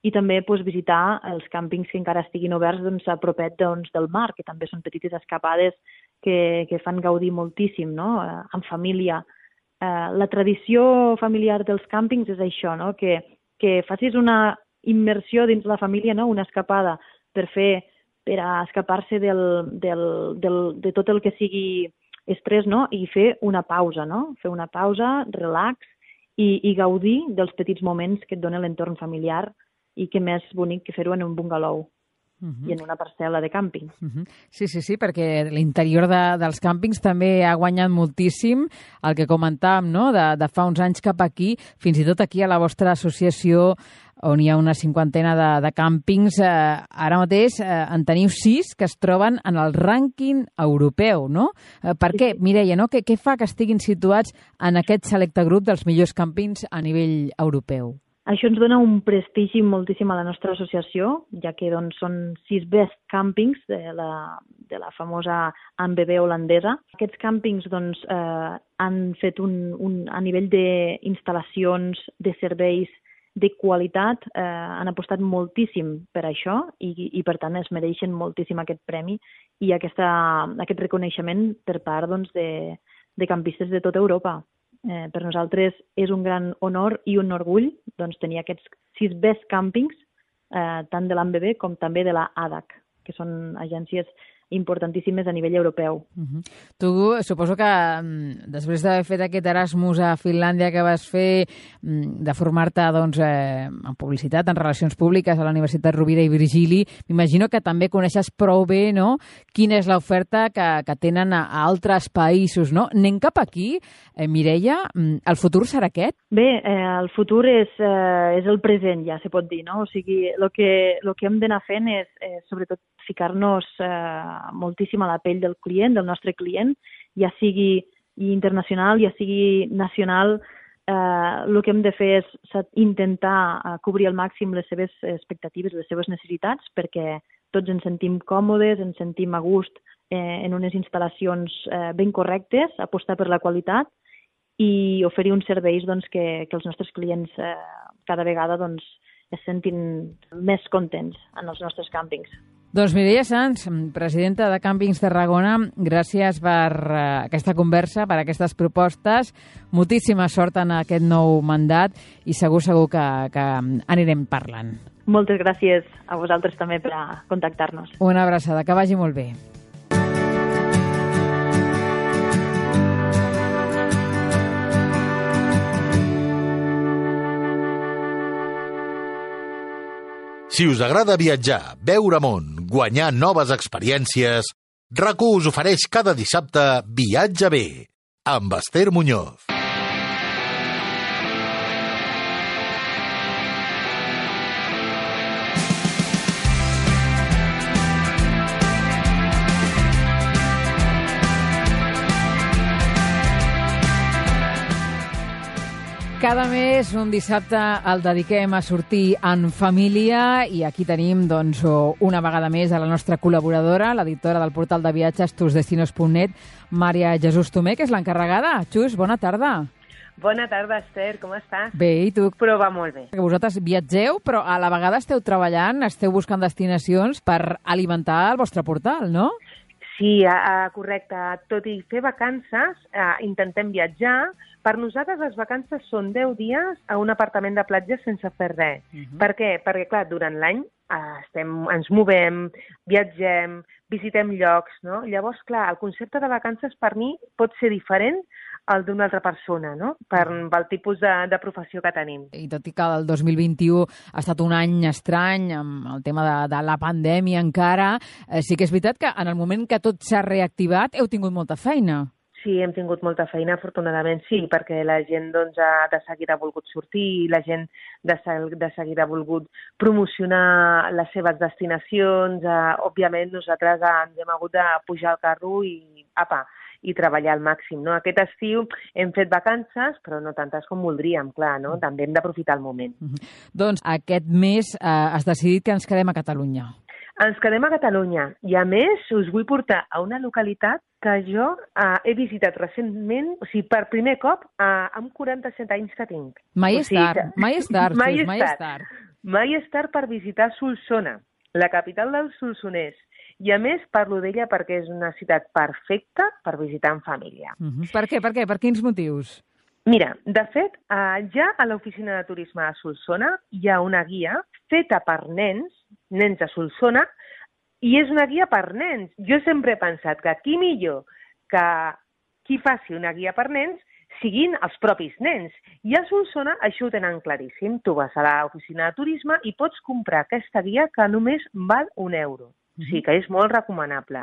i també doncs, visitar els càmpings que encara estiguin oberts doncs, a propet doncs, del mar, que també són petites escapades que, que fan gaudir moltíssim, no? Eh, en família. Eh, la tradició familiar dels càmpings és això, no? que, que facis una immersió dins la família, no? Una escapada per fer, per a escapar-se del, del, del, de tot el que sigui estrès, no? I fer una pausa, no? Fer una pausa, relax, i, i gaudir dels petits moments que et dona l'entorn familiar, i que més bonic que fer-ho en un bungalou uh-huh. i en una parcel·la de càmping. Uh-huh. Sí, sí, sí, perquè l'interior de, dels càmpings també ha guanyat moltíssim el que comentàvem, no? de, de fa uns anys cap aquí, fins i tot aquí a la vostra associació, on hi ha una cinquantena de, de càmpings, eh, ara mateix eh, en teniu sis que es troben en el rànquing europeu, no? Eh, per què, Mireia, no? Què, què fa que estiguin situats en aquest selecte grup dels millors càmpings a nivell europeu? Això ens dona un prestigi moltíssim a la nostra associació, ja que doncs, són sis best campings de la, de la famosa A N B B holandesa. Aquests càmpings doncs, eh, han fet un, un, a nivell d'instal·lacions, de serveis, de qualitat, eh, han apostat moltíssim per això i, i per tant es mereixen moltíssim aquest premi i aquesta, aquest reconeixement per part doncs, de, de campistes de tota Europa. Eh, per nosaltres és un gran honor i un orgull doncs, tenir aquests sis best campings, eh, tant de l'A N B B com també de la A D A C, que són agències importantíssimes a nivell europeu. Uh-huh. Tu suposo que després d'haver fet aquest Erasmus a Finlàndia que vas fer, de formar-te doncs, eh, en publicitat, en relacions públiques a la Universitat Rovira i Virgili, m'imagino que també coneixes prou bé, no?, quina és l'oferta que, que tenen a, a altres països, no? Anem cap aquí, eh, Mireia, el futur serà aquest? Bé, eh, el futur és, eh, és el present, ja se pot dir, no? O sigui, el que, lo que hem d'anar fent és, eh, sobretot, ficar-nos eh, moltíssim a la pell del client, del nostre client, ja sigui internacional, ja sigui nacional. Eh, el que hem de fer és intentar eh, cobrir al màxim les seves expectatives, les seves necessitats, perquè tots ens sentim còmodes, ens sentim a gust eh, en unes instal·lacions eh, ben correctes, apostar per la qualitat i oferir uns serveis doncs, que, que els nostres clients eh, cada vegada doncs, es sentin més contents en els nostres càmpings. Doncs Mireia Sans, presidenta de Càmpings Tarragona, gràcies per uh, aquesta conversa, per aquestes propostes. Moltíssima sort en aquest nou mandat i segur, segur que, que anirem parlant. Moltes gràcies a vosaltres també per a contactar-nos. Una abraçada, que vagi molt bé. Si us agrada viatjar, veure món, guanyar noves experiències, RAC u us ofereix cada dissabte Viatge bé, amb Esther Muñoz. Cada mes, un dissabte, el dediquem a sortir en família i aquí tenim doncs, una vegada més a la nostra col·laboradora, l'editora del portal de viatges tus destinos punt net, Maria Jesús Tomé, que és l'encarregada. Xus, bona tarda. Bona tarda, Esther, com estàs? Bé, i tu? Però va molt bé. Que vosaltres viatgeu, però a la vegada esteu treballant, esteu buscant destinacions per alimentar el vostre portal, no? Sí, uh, correcte. Tot i fer vacances, uh, intentem viatjar. Per nosaltres les vacances són deu dies a un apartament de platja sense fer res. Uh -huh. Per què? Perquè, clar, durant l'any uh, estem, ens movem, viatgem, visitem llocs, no? Llavors, clar, el concepte de vacances per mi pot ser diferent al d'una altra persona, no? Per, pel tipus de, de professió que tenim. I tot i que el dos mil vint-i-u ha estat un any estrany amb el tema de, de la pandèmia encara, eh, sí que és veritat que en el moment que tot s'ha reactivat heu tingut molta feina. Sí, hem tingut molta feina, afortunadament sí, perquè la gent doncs, ha de seguida ha volgut sortir, la gent de, de seguida ha volgut promocionar les seves destinacions. Eh, òbviament, nosaltres ens hem hagut de pujar al carro i, apa, i treballar al màxim, no? Aquest estiu hem fet vacances, però no tantes com voldríem, clar, no? També hem d'aprofitar el moment. Mm-hmm. Doncs aquest mes eh, has decidit que ens quedem a Catalunya. Ens quedem a Catalunya i, a més, us vull portar a una localitat que jo eh, he visitat recentment, o sigui, per primer cop, eh, amb quaranta-set anys que tinc. Mai o és sigui, tard, mai és tard, mai, Xus, mai és tard. Mai és tard per visitar Solsona, la capital dels solsonès. I, a més, parlo d'ella perquè és una ciutat perfecta per visitar en família. Uh-huh. Per què? Per què? Per quins motius? Mira, de fet, eh, ja a l'oficina de turisme de Solsona hi ha una guia feta per nens, nens de Solsona, i és una guia per nens. Jo sempre he pensat que qui millor que qui faci una guia per nens siguin els propis nens. I a Solsona això ho tenen claríssim. Tu vas a l'oficina de turisme i pots comprar aquesta guia que només val un euro. O sigui que és molt recomanable.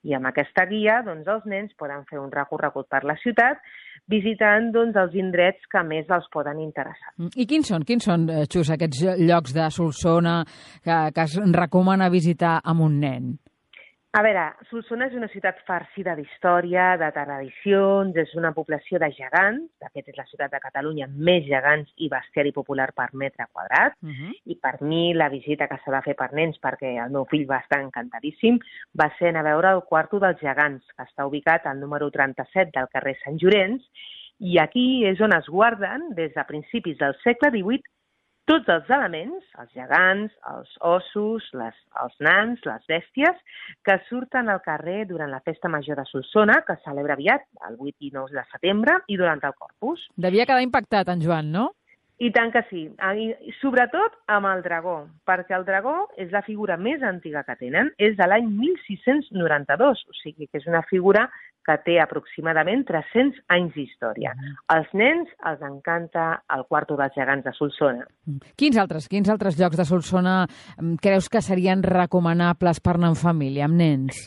I amb aquesta guia doncs, els nens poden fer un recorregut per la ciutat visitant doncs, els indrets que més els poden interessar. I quins són, quins són, Xus, aquests llocs de Solsona que, que es recomana visitar amb un nen? A veure, Solsona és una ciutat farcida d'història, de tradicions, és una població de gegants, de fet és la ciutat de Catalunya amb més gegants i bestiari popular per metre quadrat, uh-huh. i per mi la visita que s'ha de fer per nens, perquè el meu fill va estar encantadíssim, va ser anar a veure el Quarto dels Gegants, que està ubicat al número trenta-set del carrer Sant Llorenç, i aquí és on es guarden, des de principis del segle divuit, tots els elements, els gegants, els ossos, les, els nans, les bèsties, que surten al carrer durant la Festa Major de Solsona, que es celebra aviat, el vuit i nou de setembre, i durant el Corpus. Devia quedar impactat, en Joan, no? I tant que sí, I, sobretot amb el dragó, perquè el dragó és la figura més antiga que tenen, és de l'any mil sis-cents noranta-dos, o sigui que és una figura que té aproximadament tres-cents anys d'història. Als nens els encanta el Quarto dels Gegants de Solsona. Quins altres, quins altres llocs de Solsona creus que serien recomanables per anar en família, amb nens?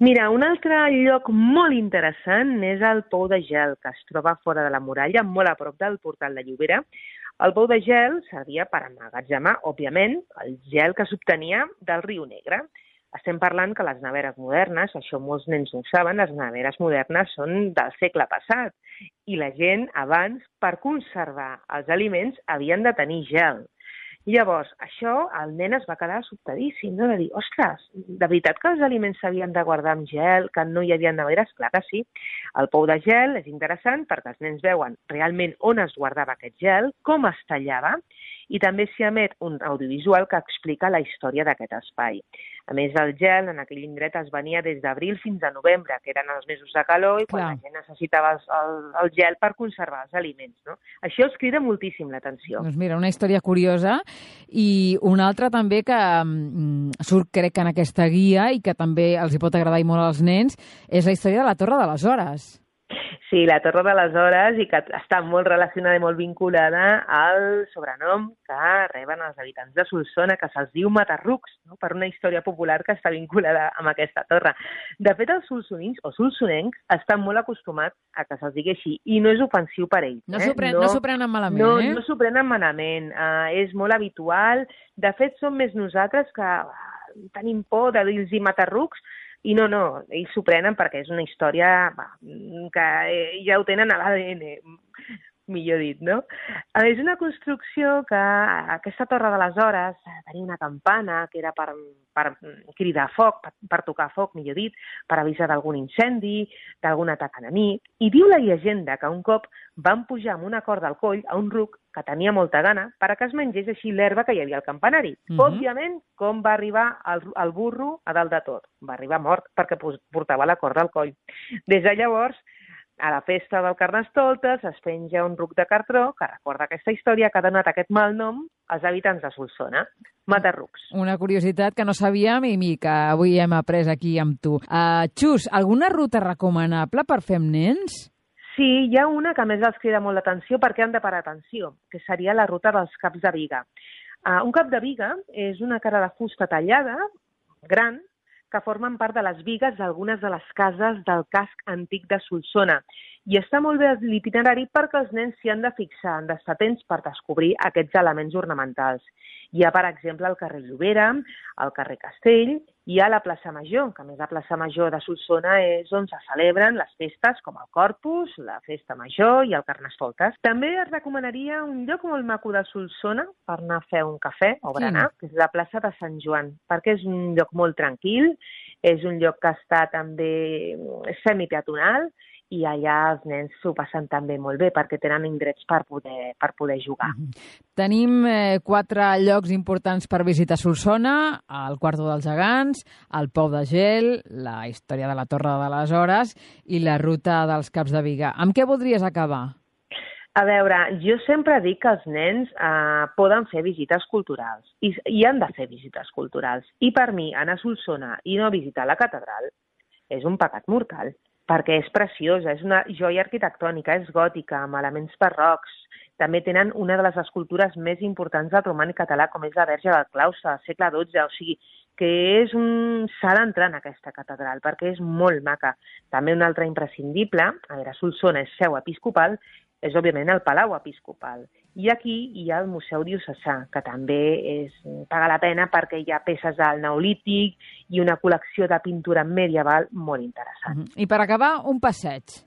Mira, un altre lloc molt interessant és el Pou de Gel, que es troba fora de la muralla, molt a prop del portal de Llobera. El Pou de Gel servia per emmagatzemar, òbviament, el gel que s'obtenia del riu Negre. Estem parlant que les neveres modernes, això molts nens no ho saben, les neveres modernes són del segle passat i la gent abans, per conservar els aliments, havien de tenir gel. Llavors, això, el nen es va quedar sobtadíssim, no? De dir, ostres, de veritat que els aliments s'havien de guardar amb gel, que no hi havia neveres? Clar que sí. El Pou de Gel és interessant perquè els nens veuen realment on es guardava aquest gel, com es tallava, i també s'hi emet un audiovisual que explica la història d'aquest espai. A més, el gel en aquell indret es venia des d'abril fins a novembre, que eren els mesos de calor i quan Clar. la gent necessitava el, el, el gel per conservar els aliments. No? Això els crida moltíssim l'atenció. Doncs mira, una història curiosa i una altra també que mm, surt, crec, en aquesta guia i que també els hi pot agradar i molt als nens, és la història de la Torre de les Hores. Sí, la Torre de les Hores, i que està molt relacionada i molt vinculada al sobrenom que reben els habitants de Solsona, que se'ls diu Matarrucs, no? Per una història popular que està vinculada amb aquesta torre. De fet, els solsonins o solsonencs estan molt acostumats a que se'ls digui així, i no és ofensiu per ells. No s'ho pren, no, no prenen malament, no, eh? No s'ho prenen malament, uh, és molt habitual. De fet, som més nosaltres que uh, tenim por de dir-los Matarrucs. I no, no, ells s'ho prenen perquè és una història va, que ja ho tenen a l'A D N. millor dit, no? És una construcció que aquesta torre de les hores tenia una campana que era per, per cridar foc, per, per tocar foc, millor dit, per avisar d'algun incendi, d'algun atac enemic. I diu la llegenda que un cop van pujar amb una corda al coll a un ruc que tenia molta gana perquè es mengés així l'herba que hi havia al campanari. Uh -huh. Òbviament, com va arribar el, el burro a dalt de tot? Va arribar mort perquè portava la corda al coll. Des de llavors, a la festa del Carnestoltes es penja un ruc de cartró que recorda aquesta història que ha donat aquest mal nom als habitants de Solsona. Matarrucs. Una curiositat que no sabíem i que avui hem après aquí amb tu. Uh, Xus, alguna ruta recomanable per fer amb nens? Sí, hi ha una que a més els crida molt l'atenció perquè han de parar atenció, que seria la ruta dels caps de biga. Uh, un cap de biga és una cara de fusta tallada, gran, que formen part de les bigues d'algunes de les cases del casc antic de Solsona. I està molt bé l'itinerari perquè els nens s'hi han de fixar, han d'estar atents per descobrir aquests elements ornamentals. Hi ha, per exemple, el carrer Llobera, el carrer Castell, i hi ha la plaça Major, que a més la plaça Major de Solsona és on se celebren les festes com el Corpus, la Festa Major i el Carnestoltes. També es recomanaria un lloc molt maco de Solsona per anar a fer un cafè o berenar, sí. que és la plaça de Sant Joan, perquè és un lloc molt tranquil, és un lloc que està també semipeatonal, i allà els nens s'ho passen també molt bé perquè tenen indrets per poder, per poder jugar. Mm-hmm. Tenim eh, quatre llocs importants per visitar Solsona, el Quarto dels Gegants, el Pou de Gel, la història de la Torre de les Hores i la ruta dels Caps de Biga. Amb què voldries acabar? A veure, jo sempre dic que els nens eh, poden fer visites culturals i, i han de fer visites culturals. I per mi, anar a Solsona i no visitar la catedral és un pecat mortal, perquè és preciosa, és una joia arquitectònica, és gòtica, amb elements barrocs. També tenen una de les escultures més importants del romànic català, com és la Verge del Claustre, del segle dotze, o sigui, que és un... s'ha d'entrar en aquesta catedral, perquè és molt maca. També un altre imprescindible, a veure, Solsona és seu episcopal, és, òbviament, el Palau Episcopal. I aquí hi ha el Museu Diocesà, que també és, paga la pena perquè hi ha peces del Neolític i una col·lecció de pintura medieval molt interessant. Uh-huh. I per acabar, un passeig.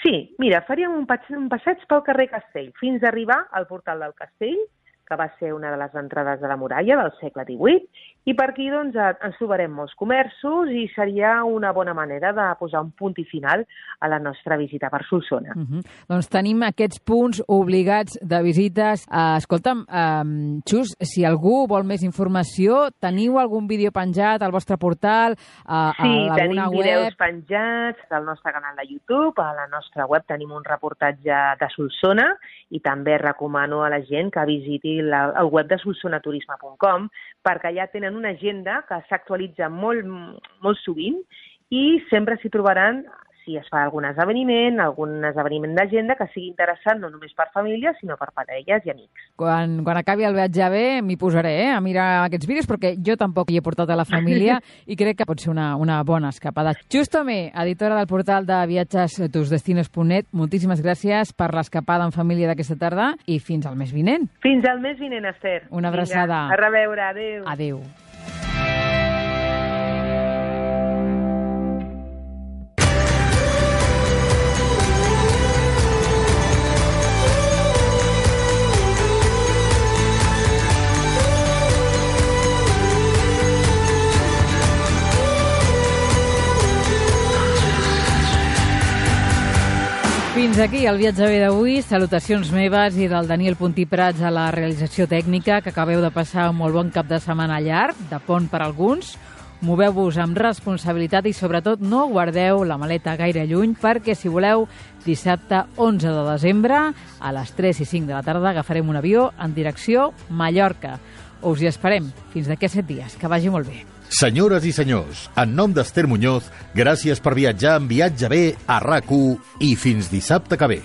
Sí, mira, faríem un passeig, un passeig pel carrer Castell, fins a arribar al portal del Castell, que va ser una de les entrades de la muralla del segle divuit, i per aquí doncs, ens trobarem molts comerços i seria una bona manera de posar un punt i final a la nostra visita per Solsona. Uh-huh. Doncs tenim aquests punts obligats de visites. Uh, escolta'm, uh, Xus, si algú vol més informació, teniu algun vídeo penjat al vostre portal? Uh, sí, a tenim web? vídeos penjats al nostre canal de YouTube, a la nostra web tenim un reportatge de Solsona i també recomano a la gent que visiti la, el web de solsona turisme punt com perquè allà tenen una agenda que s'actualitza molt, molt sovint i sempre s'hi trobaran si es fa algun esdeveniment, algun esdeveniment d'agenda que sigui interessant no només per famílies, sinó per parelles i amics. Quan, quan acabi el viatge bé m'hi posaré eh, a mirar aquests vídeos perquè jo tampoc hi he portat a la família i crec que pot ser una, una bona escapada. Xus Tomé, editora del portal de viatges tusdestinos punt net, moltíssimes gràcies per l'escapada en família d'aquesta tarda i fins al mes vinent. Fins al mes vinent, Esther. Una abraçada. Vinga, a reveure, adéu. Adéu. Fins aquí el viatge bé d'avui. Salutacions meves i del Daniel Puntí Prats a la realització tècnica, que acabeu de passar un molt bon cap de setmana llarg, de pont per alguns. Moveu-vos amb responsabilitat i, sobretot, no guardeu la maleta gaire lluny perquè, si voleu, dissabte onze de desembre, a les tres i cinc de la tarda, agafarem un avió en direcció Mallorca. Us hi esperem. Fins d'aquí a set dies. Que vagi molt bé. Senyores i senyors, en nom d'Esther Muñoz, gràcies per viatjar en Viatge Bé a RAC u i fins dissabte que ve.